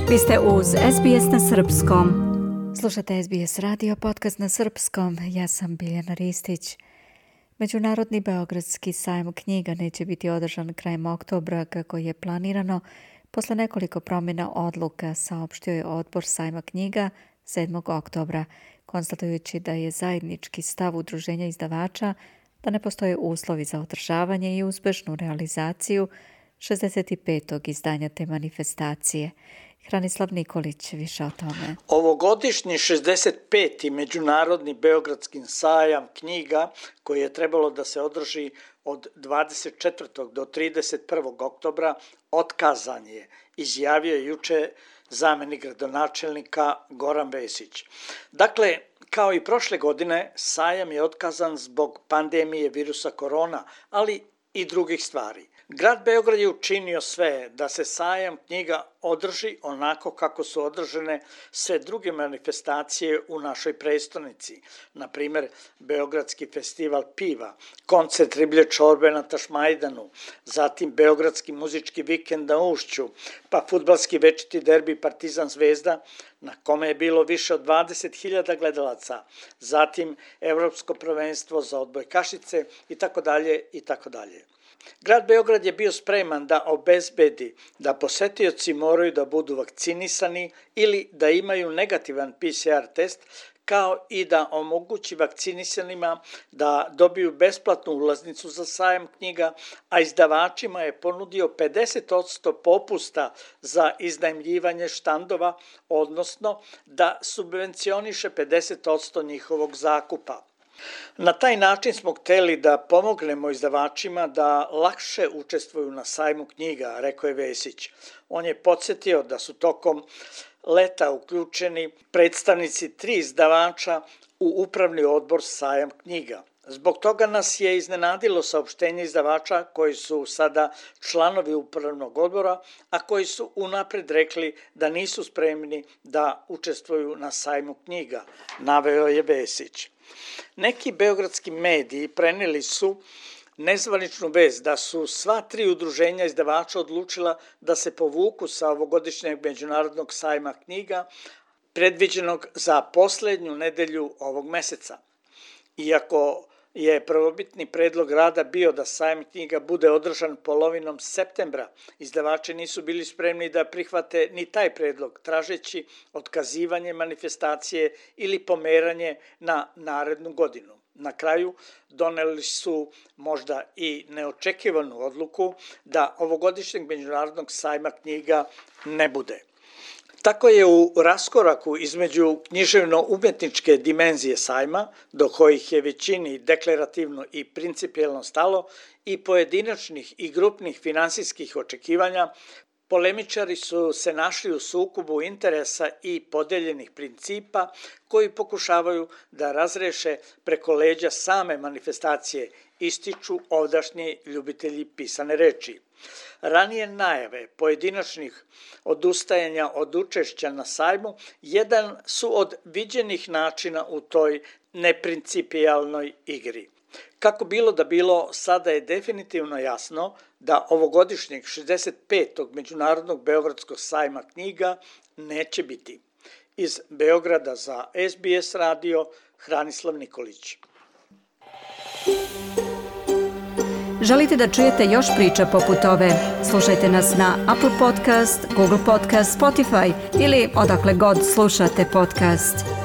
Vi ste uz SBS na srpskom. Slušate SBS radio, podcast na srpskom. Ja sam Biljana Ristić. Međunarodni beogradski sajam knjiga neće biti održan krajem oktobra kako je planirano. Posle nekoliko promjena odluka saopštio je odbor sajma knjiga 7. oktobra, konstatujući da je zajednički stav udruženja izdavača da ne postoje uslovi za održavanje i uspešnu realizaciju 65. izdanja te manifestacije. Hranislav Nikolić više o tome. Ovogodišnji 65. Međunarodni beogradski sajam knjiga, koji je trebalo da se održi od 24. do 31. oktobra, otkazan je, izjavio je juče zamenik gradonačelnika Goran Vesić. Dakle, kao i prošle godine, sajam je otkazan zbog pandemije virusa korona, ali i drugih stvari. Grad Beograd je učinio sve da se sajam knjiga održi onako kako su održane sve druge manifestacije u našoj prestonici. Na primjer, Beogradski festival piva, koncert riblje čorbe na Tašmajdanu, zatim Beogradski muzički vikend na Ušću, pa fudbalski večiti derbi Partizan Zvezda, na kome je bilo više od 20.000 gledalaca, zatim Evropsko prvenstvo za odbojkašice itd. itd. Grad Beograd je bio spreman da obezbedi da posetioci moraju da budu vakcinisani ili da imaju negativan PCR test, kao i da omogući vakcinisanima da dobiju besplatnu ulaznicu za sajam knjiga, a izdavačima je ponudio 50% popusta za iznajmljivanje štandova, odnosno da subvencioniše 50% njihovog zakupa. Na taj način smo hteli da pomognemo izdavačima da lakše učestvuju na sajmu knjiga, rekao je Vesić. On je podsjetio da su tokom leta uključeni predstavnici 3 izdavača u upravni odbor sajam knjiga. Zbog toga nas je iznenadilo saopštenje izdavača koji su sada članovi upravnog odbora, a koji su unapred rekli da nisu spremni da učestvuju na sajmu knjiga, naveo je Vesić. Neki beogradski mediji preneli su nezvaničnu vest da su sva 3 udruženja izdavača odlučila da se povuku sa ovogodišnjeg međunarodnog sajma knjiga predviđenog za poslednju nedelju ovog meseca. Iako je prvobitni predlog rada bio da sajam knjiga bude održan polovinom septembra, izdavači nisu bili spremni da prihvate ni taj predlog, tražeći otkazivanje manifestacije ili pomeranje na narednu godinu. Na kraju doneli su možda i neočekivanu odluku da ovogodišnjeg međunarodnog sajma knjiga ne bude. Tako je u raskoraku između književno-umetničke dimenzije sajma, do kojih je većini deklarativno i principijelno stalo, i pojedinačnih i grupnih finansijskih očekivanja, polemičari su se našli u sukobu interesa i podeljenih principa koji pokušavaju da razreše preko leđa same manifestacije, ističu ovdašnji ljubitelji pisane reči. Ranije najave pojedinačnih odustajanja od učešća na sajmu jedan su od viđenih načina u toj neprincipijalnoj igri. Kako bilo da bilo, sada je definitivno jasno da ovogodišnjeg 65. Međunarodnog beogradskog sajma knjiga neće biti. Iz Beograda za SBS radio, Hranislav Nikolić. Želite da čujete još priča poput ove? Slušajte nas na Apple Podcast, Google Podcast, Spotify ili odakle god slušate podcast.